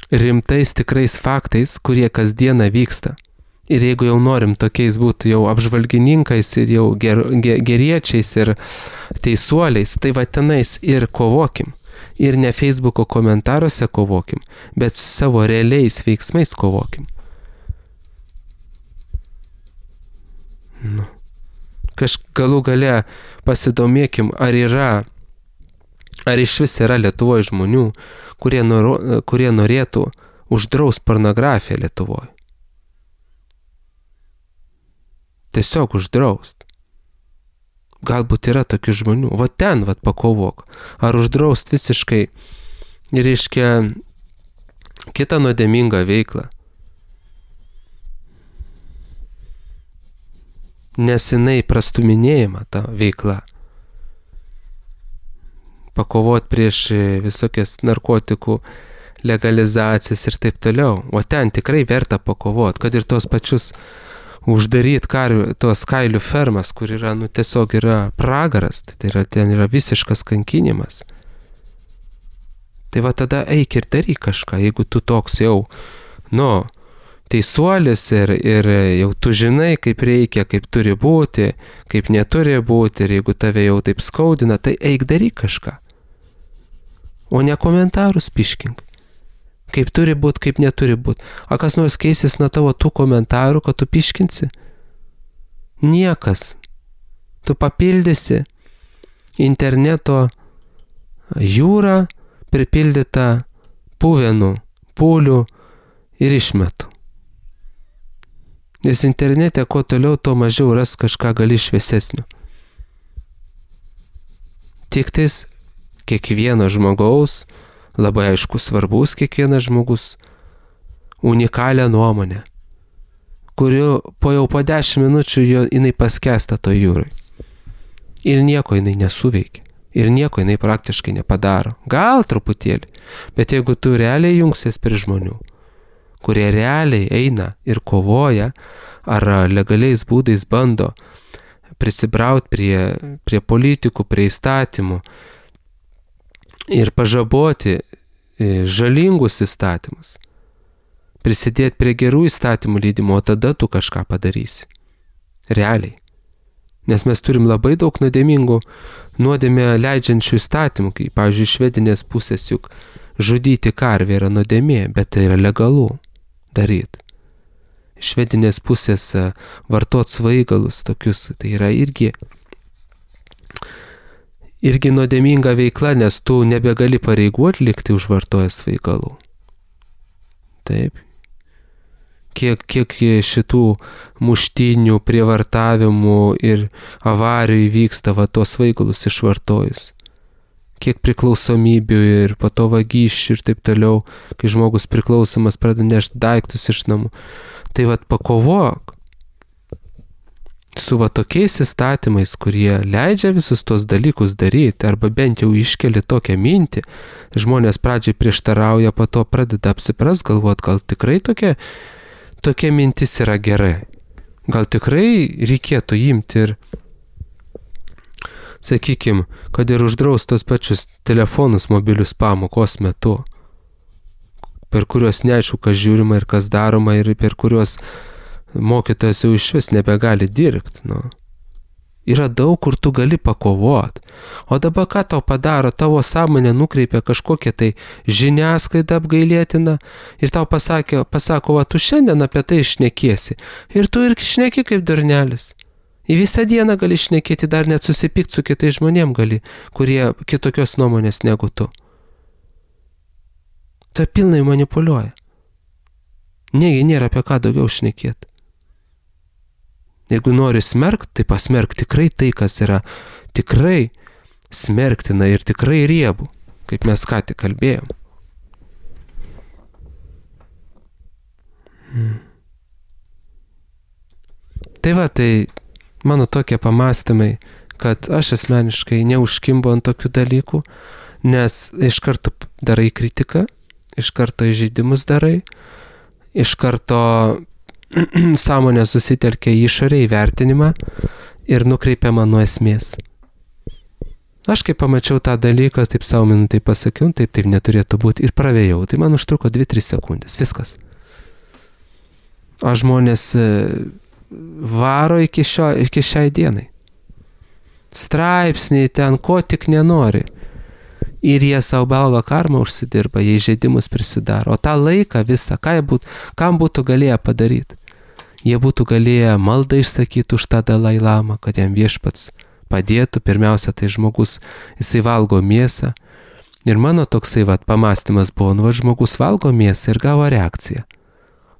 Speaker 1: rimtais tikrais faktais, kurie kasdieną vyksta. Ir jeigu jau norim tokiais būti jau apžvalgininkais ir jau geriečiais ir teisuoliais, tai va tenais ir kovokim. Ir ne Facebooko komentaruose kovokim, bet su savo realiais veiksmais kovokim. Galų gale pasidomėkim, ar iš vis yra Lietuvoje žmonių, kurie norėtų uždraust pornografiją Lietuvoje. Tiesiog uždraust. Galbūt yra tokių žmonių. Va ten, pakovok. Ar uždraust visiškai, reiškia, kitą nuodėmingą veiklą. Nes jinai prastuminėjama ta veikla. Pakovot prieš visokias narkotikų legalizacijas ir taip toliau. O ten tikrai verta pakovot, kad ir tos pačius uždaryt tos kailių fermas, kur yra, tiesiog yra pragaras, ten yra visiškas kankinimas. Tai tada eik ir daryk kažką, jeigu tu toks jau, teisuolis ir jau tu žinai, kaip reikia, kaip turi būti, kaip neturi būti, ir jeigu tave jau taip skaudina, tai eik daryk kažką. O ne komentarus piškink. Kaip turi būti, kaip neturi būti. A kas nors keisis nuo tavo tų komentarų, kad tu piškinsi? Niekas. Tu papildysi interneto jūrą pripildytą puvenų, pūlių ir išmetų. Nes internete kuo toliau, tuo mažiau ras kažką gali šviesesnio. Tik tais kiekvieno žmogaus, labai aišku svarbus kiekvienas žmogus, unikalią nuomonę, kuriu po 10 minučių jinai paskęsta to jūrai. Ir nieko jinai nesuveikia. Ir nieko jinai praktiškai nepadaro. Gal truputėlį. Bet jeigu tu realiai jungsies prie žmonių, kurie realiai eina ir kovoja, ar legaliais būdais bando prisibraut prie politikų, prie įstatymų, ir pažaboti žalingus įstatymus, prisidėti prie gerų įstatymų leidimo, o tada tu kažką padarysi. Realiai. Nes mes turim labai daug nuodėmę leidžiančių įstatymų, kaip, pavyzdžiui, iš švedinės pusės juk žudyti karvę yra nuodėmė, bet tai yra legalu daryti. Iš švedinės pusės vartot svaigalus tokius, tai yra irgi nuodėminga veikla, nes tu nebegali pareigų atlikti už vartojęs svaigalų. Taip. Kiek šitų muštynių, prievartavimų ir avarijų įvyksta tuos svaigalus išvartojus. Kiek priklausomybių ir po to vagysčių ir taip toliau, kai žmogus priklausomas pradeda nešti daiktus iš namų. Tai pakovok su tokiais įstatymais, kurie leidžia visus tos dalykus daryti, arba bent jau iškeli tokią mintį, žmonės pradžiai prieštarauja, po to pradeda apsipras, galvot, gal tikrai tokia mintis yra gerai. Gal tikrai reikėtų imti ir, sakykim, kad ir uždraust tos pačius telefonus mobilius pamokos metu, per kuriuos neaišku, kas žiūrima ir kas daroma, ir per kuriuos mokytojas jau išvis nebegali dirbti. Yra daug, kur tu gali pakovot. O dabar ką tau padaro? Tavo sąmonė nukreipia kažkokią tai žiniasklaidą apgailėtiną ir tau pasako, tu šiandien apie tai šnekėsi. Ir tu ir šneki kaip durnelis. Į visą dieną gali šnekėti, dar net susipykti su kitais žmonėm gali, kurie kitokios nuomonės negu tu. Tai pilnai manipuliuoja. Negi nėra apie ką daugiau šnekėti. Jeigu nori smerkt, tai pasmerk tikrai tai, kas yra tikrai smerktina ir tikrai riebu, kaip mes ką tik kalbėjom. Tai mano tokie pamastymai, kad aš asmeniškai neužkimbu ant tokių dalykų, nes iš karto darai kritiką, iš karto įžeidimus darai, iš karto sąmonė susitelkia į išorę įvertinimą ir nukreipiama nuo esmės. Aš kai pamačiau tą dalyką, taip savo minutai pasakiau, taip neturėtų būti ir pravėjau. Tai man užtruko 2-3 sekundės, viskas. O žmonės varo iki šiai dienai. Straipsniai ten, ko tik nenori. Ir jie savo balvą karmą užsidirba, jie įžeidimus prisidaro. O tą laiką visą, kam būtų galėję padaryti? Jie būtų galėję maldą išsakyti už tą Dalai Lamą, kad jam viešpats padėtų. Pirmiausia, tai žmogus, jisai valgo mėsą. Ir mano toksai pamastymas buvo, žmogus valgo mėsą ir gavo reakciją.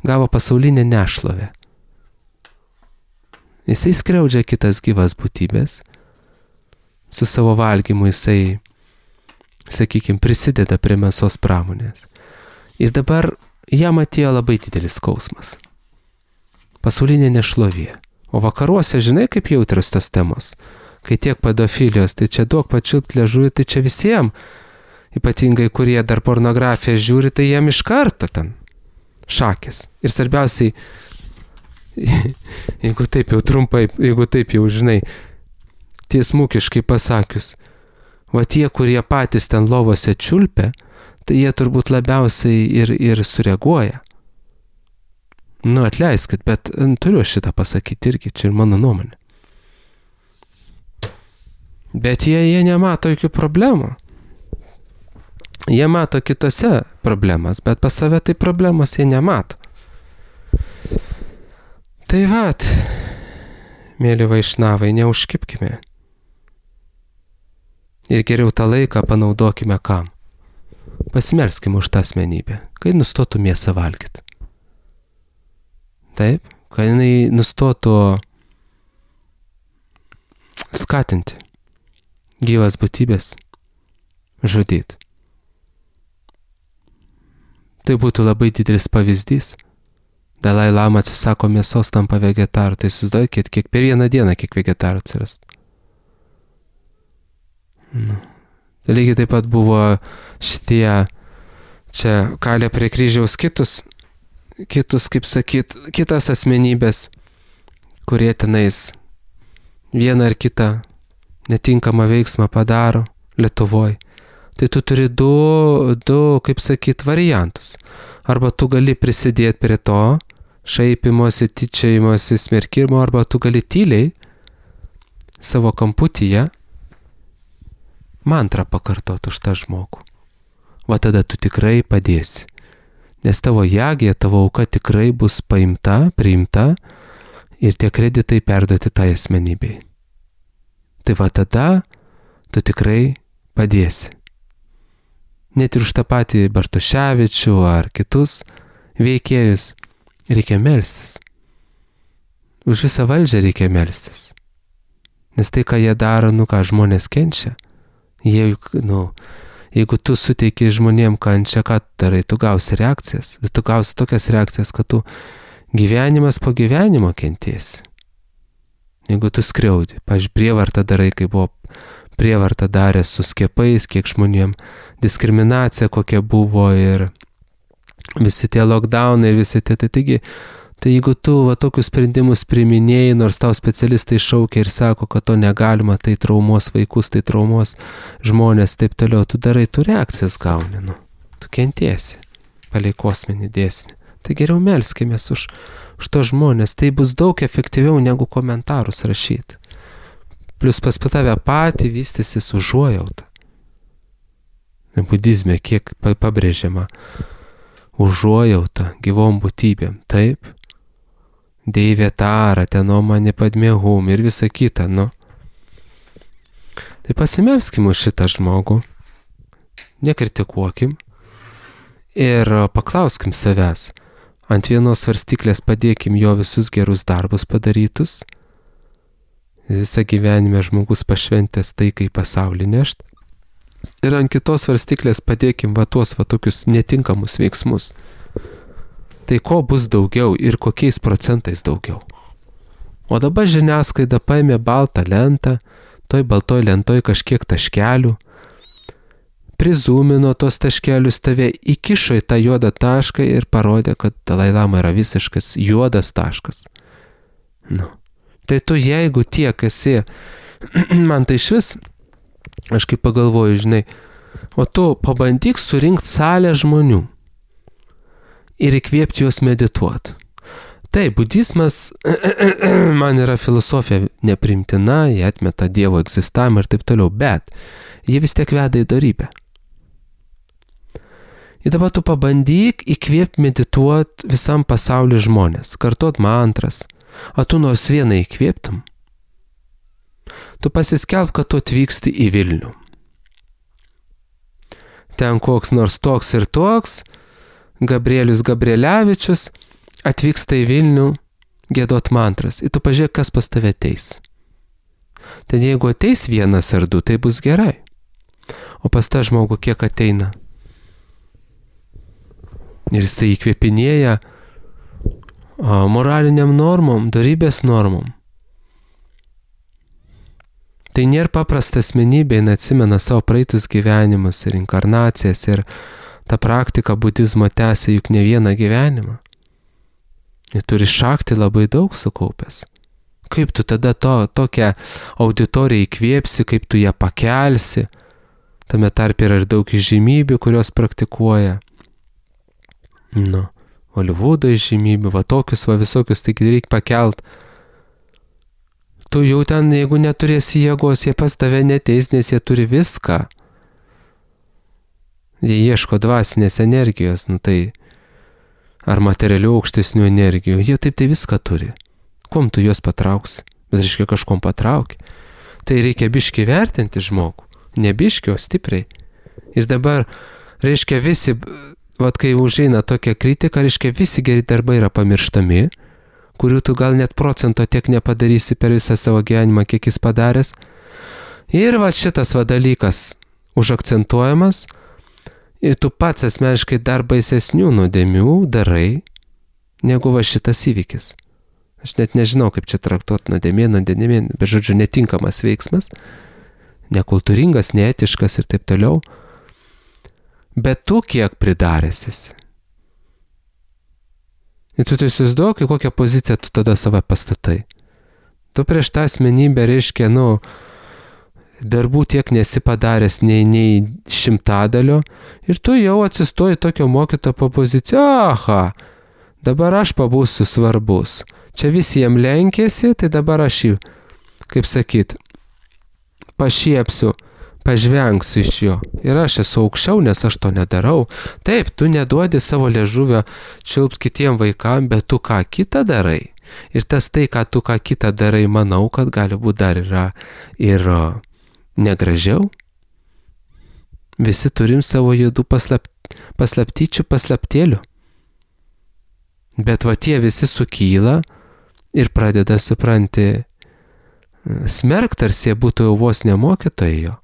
Speaker 1: Gavo pasaulinę nešlovę. Jisai skriaudžia kitas gyvas būtybės. Su savo valgymu jisai, sakykime, prisideda prie mėsos pramonės. Ir dabar jam atėjo labai didelis skausmas. Pasaulinė nešlovė. O vakaruose, žinai, kaip jautrios tos temos. Kai tiek pedofilijos, tai čia duok pačiulpt liežuvį, tai čia visiems, ypatingai kurie dar pornografiją žiūri, tai jiem iš karto ten šakės. Ir svarbiausiai, jeigu taip jau trumpai, jeigu taip jau žinai, tiesmukiškai pasakius, va tie, kurie patys ten lovose čiulpia, tai jie turbūt labiausiai ir sureaguoja. Nu, atleiskit, bet turiu šitą pasakyti irgi, čia ir mano nuomonė. Bet jie nemato jokių problemų. Jie mato kitose problemas, bet pas save tai problemos jie nemato. Tai vat, mėly vaišnavai, neužkibkime. Ir geriau tą laiką panaudokime kam? Pasimelskime už tą asmenybę, kai nustotų mėsą valgyti. Taip, kad jinai nustotų skatinti gyvas būtybės žudyti. Tai būtų labai didelis pavyzdys. Dalai Lama atsisako mėsos, tampa vegetaru. Tai įsivaizduokit, kiek per vieną dieną kiek vegetarų atsirast. Nu. Lygiai taip pat buvo šitie, čia kalė prie kryžiaus kitus, kaip sakyt, kitas asmenybės, kurie tenais vieną ar kitą netinkamą veiksmą padaro Lietuvoje. Tai tu turi du, kaip sakyt, variantus. Arba tu gali prisidėti prie to, šaipimosi, tyčiojimosi, smerkimo, arba tu gali tyliai savo kamputyje mantrą pakartoti už tą žmogų. Va tada tu tikrai padėsi. Nes tavo jagė, tavo auka tikrai bus paimta, priimta ir tie kreditai perduoti tai asmenybei. Tai va tada tu tikrai padėsi. Net ir už tą patį Bartuševičių ar kitus veikėjus reikia melstis. Už visą valdžią reikia melstis. Nes tai, ką jie daro, žmonės kenčia. Jeigu tu suteiki žmonėm kančią, ką darai, tu gausi reakcijas. Bet tu gausi tokias reakcijas, kad tu gyvenimas po gyvenimo kentėsi. Jeigu tu skriaudi, pavyzdžiui, prievartą darai, kai buvo prievartą darė su skiepais, kiek žmonėm diskriminacija kokia buvo ir visi tie lockdownai ir visi tie, taigi, tai jeigu tu tokius sprendimus priiminėjai, nors tau specialistai šaukia ir sako, kad to negalima, tai traumuos vaikus, tai traumuos žmonės, taip toliau, tu darai, tu reakcijas gauni, tu kentėsi, palei kosminį dėsnį. Tai geriau melskimės už to žmonės, tai bus daug efektyviau negu komentarus rašyti. Plius pas tave patį vystysis užuojautą. Budizme kiek pabrėžiama užuojautą gyvom būtybėm, taip? Deivetara, tenomani padmehum ir visa kita, Tai pasimelskim už šitą žmogų, nekritikuokim ir paklauskim savęs. Ant vienos svarstyklės padėkim jo visus gerus darbus padarytus. Visą gyvenimą žmogus pašventęs taikai pasaulį nešt. Ir ant kitos svarstyklės padėkim tuos tokius netinkamus veiksmus. Tai ko bus daugiau ir kokiais procentais daugiau. O dabar žiniasklaida paėmė baltą lentą, toj baltoj lentoj kažkiek taškelių, prizūmino tos taškelius, tave įkišo į tą juodą tašką ir parodė, kad Dalai Lama yra visiškas juodas taškas. Tai tu jeigu tiek esi, man tai išvis, aš kaip pagalvoju, žinai, o tu pabandyk surinkti salę žmonių ir įkvėpti juos medituoti. Taip, budizmas man yra filosofija neprimtina, jie atmeta Dievo egzistavimą ir taip toliau, bet jie vis tiek veda į dorybę. Ir dabar tu pabandyk įkvėpti medituoti visam pasauliu žmonės, kartot mantras. O tu nors vieną įkvėptum? Tu pasiskelb, kad tu atvyksti į Vilnių. Ten koks nors toks ir toks, Gabrielius Gabrielevičius, atvyksta į Vilnių giedot mantras. Ir tu pažiūrėk, kas pas tave ateis. Ten jeigu ateis 1 ar 2, tai bus gerai. O pas tą žmogų kiek ateina? Ir jisai įkvėpinėja moraliniam normom, dorybės normom. Tai nėra paprasta asmenybė, jin atsimena savo praeitus gyvenimus ir inkarnacijas ir ta praktika budizmo tęsia juk ne vieną gyvenimą. Jis turi šakti labai daug sukaupęs. Kaip tu tada tokią auditoriją įkvėpsi, kaip tu ją pakelsi. Tame tarpe yra ir daug įžymybių, kurios praktikuoja. Holivudo įžymybių, tokius, visokius, taigi reikia pakelt. Tu jau ten, jeigu neturėsi jėgos, jie pas tave neteis, nes jie turi viską. Jie ieško dvasinės energijos, tai ar materialių aukštesnių energijų, jie taip tai viską turi. Kuom tu juos patrauksi? Bet reiškia kažkom patrauki. Tai reikia biški vertinti žmogų. Ne biški, o stipriai. Ir dabar, reiškia visi, kai užeina tokia kritika, reiškia visi geri darbai yra pamirštami, kurių tu gal net procento tiek nepadarysi per visą savo gyvenimą, kiek jis padaręs. Ir šitas dalykas užakcentuojamas, ir tu pats asmeniškai dar baisesnių nuodėmių darai, negu šitas įvykis. Aš net nežinau, kaip čia traktuoti nuodėmė, bet žodžiu, netinkamas veiksmas, nekultūringas, neetiškas ir taip toliau. Bet tu kiek pridaręsis. Ir tu įsivaizduok, kokią poziciją tu tada save pastatai. Tu prieš tą asmenybę reiškia, darbų tiek nesi padaręs nei 100 ir tu jau atsistoji tokio mokytojo po poziciją. Aha, dabar aš pabūsiu svarbus. Čia visiems lenkėsi, tai dabar aš jį, kaip sakyt, pašiepsiu, pažvengsiu iš jo. Ir aš esu aukščiau, nes aš to nedarau. Taip, tu neduodi savo liežuvio čiulpt kitiem vaikam, bet tu ką kitą darai. Ir tas tai, ką tu ką kitą darai, manau, kad gali būti dar yra ir negražiau. Visi turim savo juodų paslaptyčių, paslaptėlių. Bet tie visi sukyla ir pradeda, supranti, smerkt, tarsi jie būtų jau vos nemokytojai jo.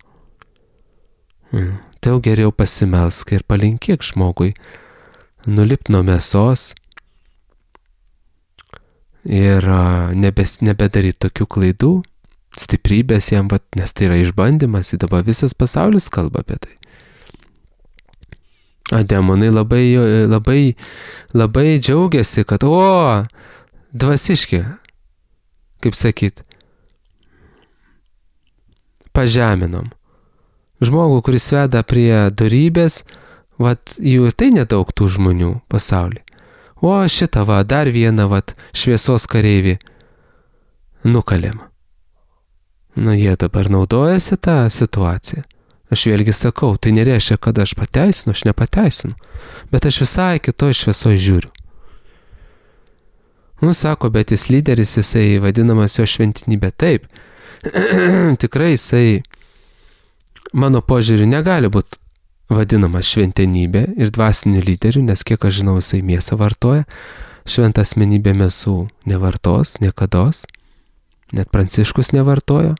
Speaker 1: Tai jau geriau pasimelsk ir palinkėk žmogui nulipt nuo mėsos ir nebedaryt tokių klaidų, stiprybės jam, nes tai yra išbandymas, ir dabar visas pasaulis kalba apie tai. Demonai labai džiaugiasi, kad dvasiški, kaip sakyt, pažeminom. Žmogų, kuris veda prie dorybės, jų ir tai nedaug tų žmonių pasaulyje. Šitą dar vieną šviesos kareivį nukalėm. Jie dabar naudojasi tą situaciją. Aš vėlgi sakau, tai nereiškia, kad aš pateisinu, aš nepateisinu, bet aš visai kitoj šviesoj žiūriu. Sako, bet jis lyderis, jisai vadinamas jo šventinybė. Taip, tikrai jisai, mano požiūriu, negali būti vadinamas šventenybė ir dvasiniu lyderiu, nes kiek aš žinau, jisai mėsą vartoja, šventą asmenybę mėsų nevartos, niekados, net Pranciškus nevartojo.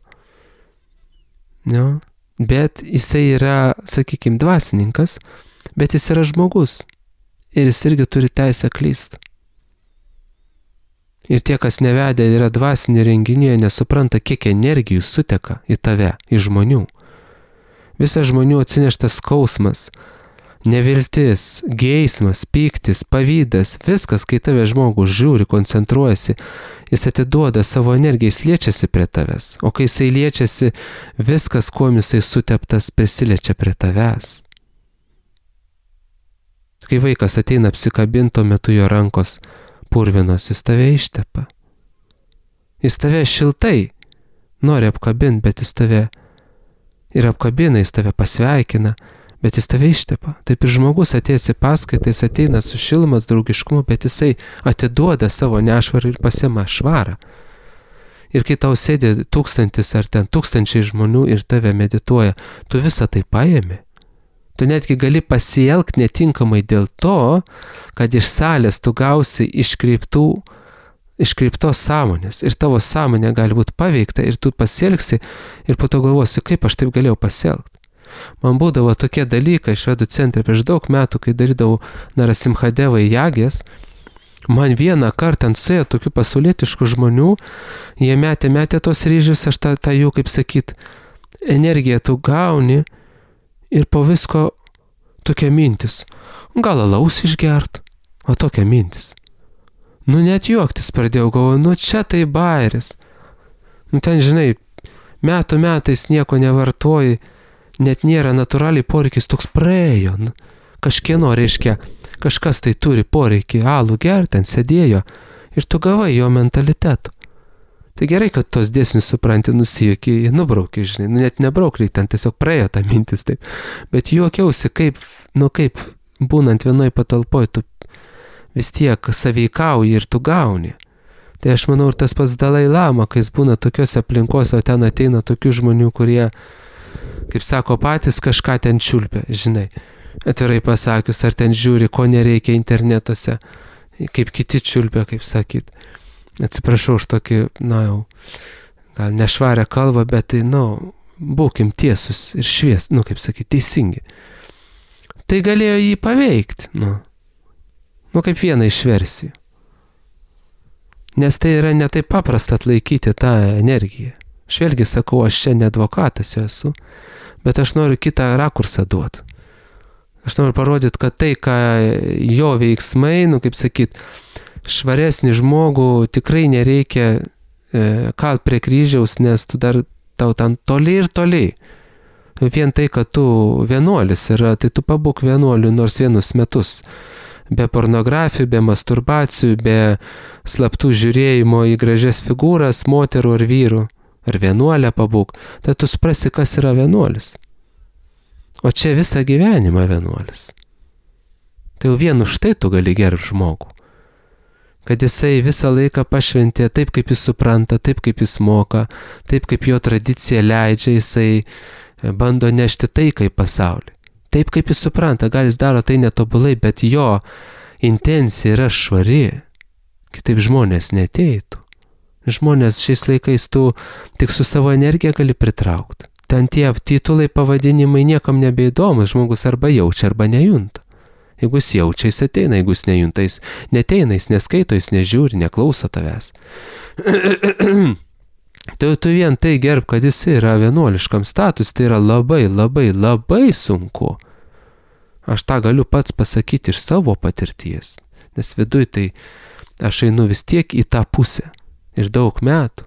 Speaker 1: Bet jisai yra, sakykime, dvasininkas, bet jis yra žmogus ir jis irgi turi teisę klysti. Ir tie, kas nevedė, yra dvasinį renginį, nesupranta, kiek energijų suteka į tave, į žmonių. Visas žmonių atsineštas skausmas, neviltis, geismas, pyktis, pavydas, viskas, kai tave žmogus žiūri, koncentruojasi, jis atiduoda savo energiją, jis liečiasi prie tavęs. O kai jisai liečiasi, viskas, kuo jisai suteptas, prisiliečia prie tavęs. Kai vaikas ateina apsikabinto metu, jo rankos purvinos, jis tave ištepa. Jis tave šiltai nori apkabinti, bet jis tave ir apkabina, jis tave pasveikina, bet jis tave ištepa. Taip ir žmogus atėjęs į paskaitą, jis ateina su šilumos draugiškumu, bet jisai atiduoda savo nešvarą ir pasiima švarą. Ir kai tau sėdi 1000 ar ten 1000 žmonių ir tave medituoja, tu visą tai paėmi. Tu netgi gali pasielgti netinkamai dėl to, kad iš salės tu gausi iškreiptų iškreiptos sąmonės ir tavo sąmonė gali būti paveikta ir tu pasielgsi ir po to galvosi, kaip aš taip galėjau pasielgti. Man būdavo tokie dalykai švedų centre prieš daug metų, kai darydavau Narasimhadevai jagės. Man vieną kartą ant suėjo tokių pasaulietiškų žmonių, jie metė tos ryžius, aš tą jų, kaip sakyt, energiją tu gauni ir po visko tokia mintis. Gal alaus išgert, o tokia mintis. Net juoktis pradėjau, galvoju, čia tai bairis. Ten, žinai, metais nieko nevartoji, net nėra natūraliai poreikis toks praėjo. Kažkieno, reiškia, kažkas tai turi poreikį alų gerti, ten sėdėjo ir tu gavai jo mentalitetų. Tai gerai, kad tos dėsnius supranti, nusijuoki, nubrauki, žinai, net nebrauk, ten tiesiog praėjo ta mintis taip. Bet juokiausi, kaip būnant vienoj patalpoj, tu vis tiek saveikauji ir tu gauni. Tai aš manau, ir tas pats Dalai Lama, kai jis būna tokiuose aplinkose, o ten ateina tokių žmonių, kurie, kaip sako, patys kažką ten čiulpia, žinai. Atvirai pasakius, ar ten žiūri, ko nereikia internetuose, kaip kiti čiulpia, kaip sakyt. Atsiprašau už tokį, jau, gal nešvarę kalbą, bet tai, būkim tiesus ir kaip sakyt, teisingi. Tai galėjo jį paveikti, kaip vieną iš versijų. Nes tai yra ne taip paprasta atlaikyti tą energiją. Aš vėlgi sakau, aš čia ne advokatas esu, bet aš noriu kitą rakursą duoti. Aš noriu parodyti, kad tai, ką jo veiksmai, kaip sakyt, švaresnį žmogų tikrai nereikia kalt prie kryžiaus, nes tau ten toli ir toli. Vien tai, kad tu vienuolis yra, tai tu pabūk vienuoliu nors vienus metus. Be pornografijų, be masturbacijų, be slaptų žiūrėjimo į gražias figūras, moterų ar vyrų. Ar vienuolę pabūk, tai tu suprasi, kas yra vienuolis. O čia visą gyvenimą vienuolis. Tai jau vien už tai tu gali gerbti žmogų. Kad jisai visą laiką pašventė taip, kaip jis supranta, taip, kaip jis moka, taip, kaip jo tradicija leidžia, jisai bando nešti taiką į pasaulį. Taip, kaip jis supranta, gal jis daro tai netobulai, bet jo intencija yra švari. Kitaip žmonės neteitų. Žmonės šiais laikais tu tik su savo energija gali pritraukti. Ten tie titulai, pavadinimai niekam nebeįdomus, žmogus arba jaučia, arba nejunta. Jeigu jis jaučia, jis ateina, jeigu jis nejunta, jis neteina, jis neskaito, jis nežiūri, neklauso tavęs. Tai tu vien tai gerb, kad jis yra vienuoliškam status, tai yra labai, labai, labai sunku. Aš tą galiu pats pasakyti iš savo patirties, nes viduj tai aš einu vis tiek į tą pusę ir daug metų.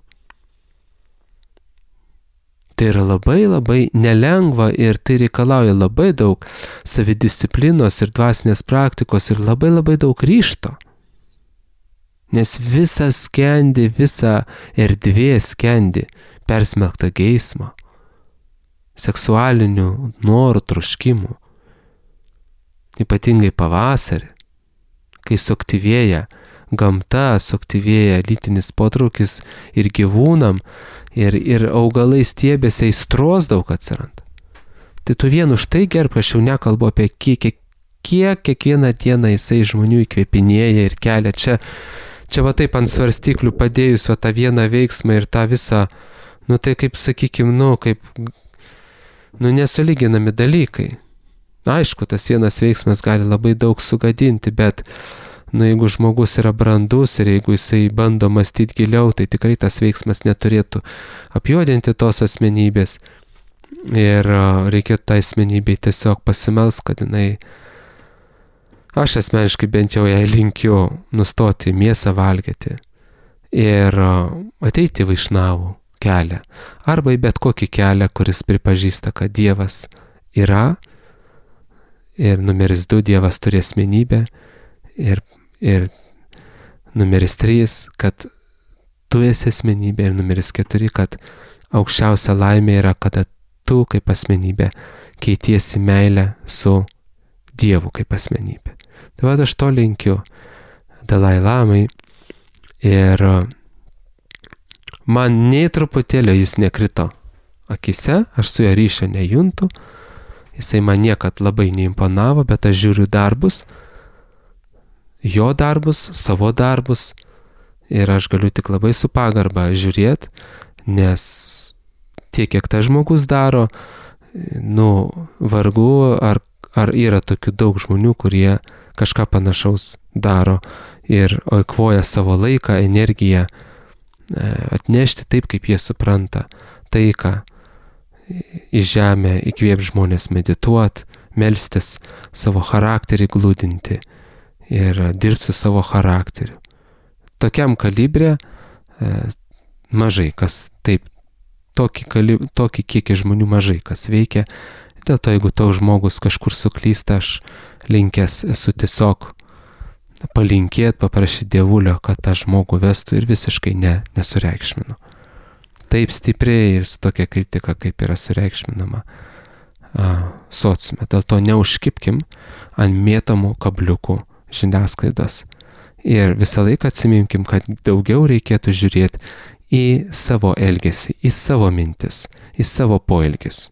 Speaker 1: Tai yra labai, labai nelengva ir tai reikalauja labai daug savidisciplinos ir dvasinės praktikos ir labai, labai daug ryžto. Nes visa skendi, visa erdvė skendi persmelkta geismo, seksualinių norų, troškimų. Ypatingai pavasarį, kai suaktyvėja gamta, suaktyvėja lytinis potraukis ir gyvūnam, ir augalai stiebėse aistros daug atsiranda. Tai tu vien už tai gerb, aš jau nekalbu apie kiek kiekvieną dieną jisai žmonių įkvėpinėja ir kelia. Čia va taip ant svarstyklių padėjus va tą vieną veiksmą ir tą visą, tai kaip sakykim, nesulyginami dalykai. Aišku, tas vienas veiksmas gali labai daug sugadinti, bet jeigu žmogus yra brandus ir jeigu jisai bando mąstyti giliau, tai tikrai tas veiksmas neturėtų apjuodinti tos asmenybės. Ir reikėtų tą asmenybę tiesiog pasimelst, kad aš asmeniškai bent jau jai linkiu nustoti mėsą valgyti ir ateiti į vaišnavų kelią. Arba į bet kokį kelią, kuris pripažįsta, kad Dievas yra ir numeris 2 Dievas turi asmenybę ir numeris 3, kad tu esi asmenybė ir numeris 4, kad aukščiausia laimė yra, kada tu kaip asmenybė keitiesi meilę su Dievu kaip asmenybė. Tai va aš to linkiu Dalai Lamai ir man nei truputėlio jis nekrito akise, aš su jo ryšio nejuntu, jisai man niekad labai neimponavo, bet aš žiūriu darbus, jo darbus, savo darbus ir aš galiu tik labai su pagarba žiūrėti, nes tiek, kiek tas žmogus daro, vargu, ar yra tokių daug žmonių, kurie kažką panašaus daro ir eikvoja savo laiką, energiją, atnešti taip, kaip jie supranta taiką į žemę, įkvėp žmonės medituot, melstis, savo charakterį glūdinti ir dirbti su savo charakteriu. Tokiam kalibre mažai kas taip, tokį kiekį žmonių mažai kas veikia. Dėl to, jeigu toks žmogus kažkur suklysta, aš linkęs esu tiesiog palinkėti, paprašyti Dievulio, kad tą žmogų vestų ir visiškai nesureikšminu. Taip stipriai ir su tokia kritika, kaip yra sureikšminama sociume. Dėl to neužkibkim ant mėtomų kabliukų žiniasklaidos. Ir visą laiką atsiminkim, kad daugiau reikėtų žiūrėti į savo elgesį, į savo mintis, į savo poelgius.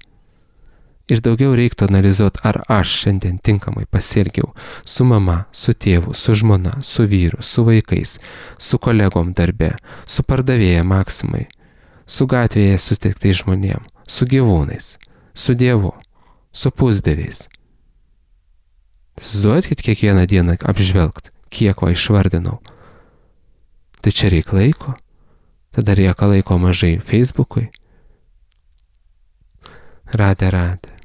Speaker 1: Ir daugiau reiktų analizuoti, ar aš šiandien tinkamai pasielgiau su mama, su tėvu, su žmona, su vyru, su vaikais, su kolegom darbe, su pardavėja Maksimai, su gatvėje sutiktais žmonėm, su gyvūnais, su Dievu, su pusdieviais. Įsivaizduokit kiekvieną dieną apžvelgt, kiek va išvardinau. Tai čia reik laiko, tada reikia laiko mažai Facebookui. Radė.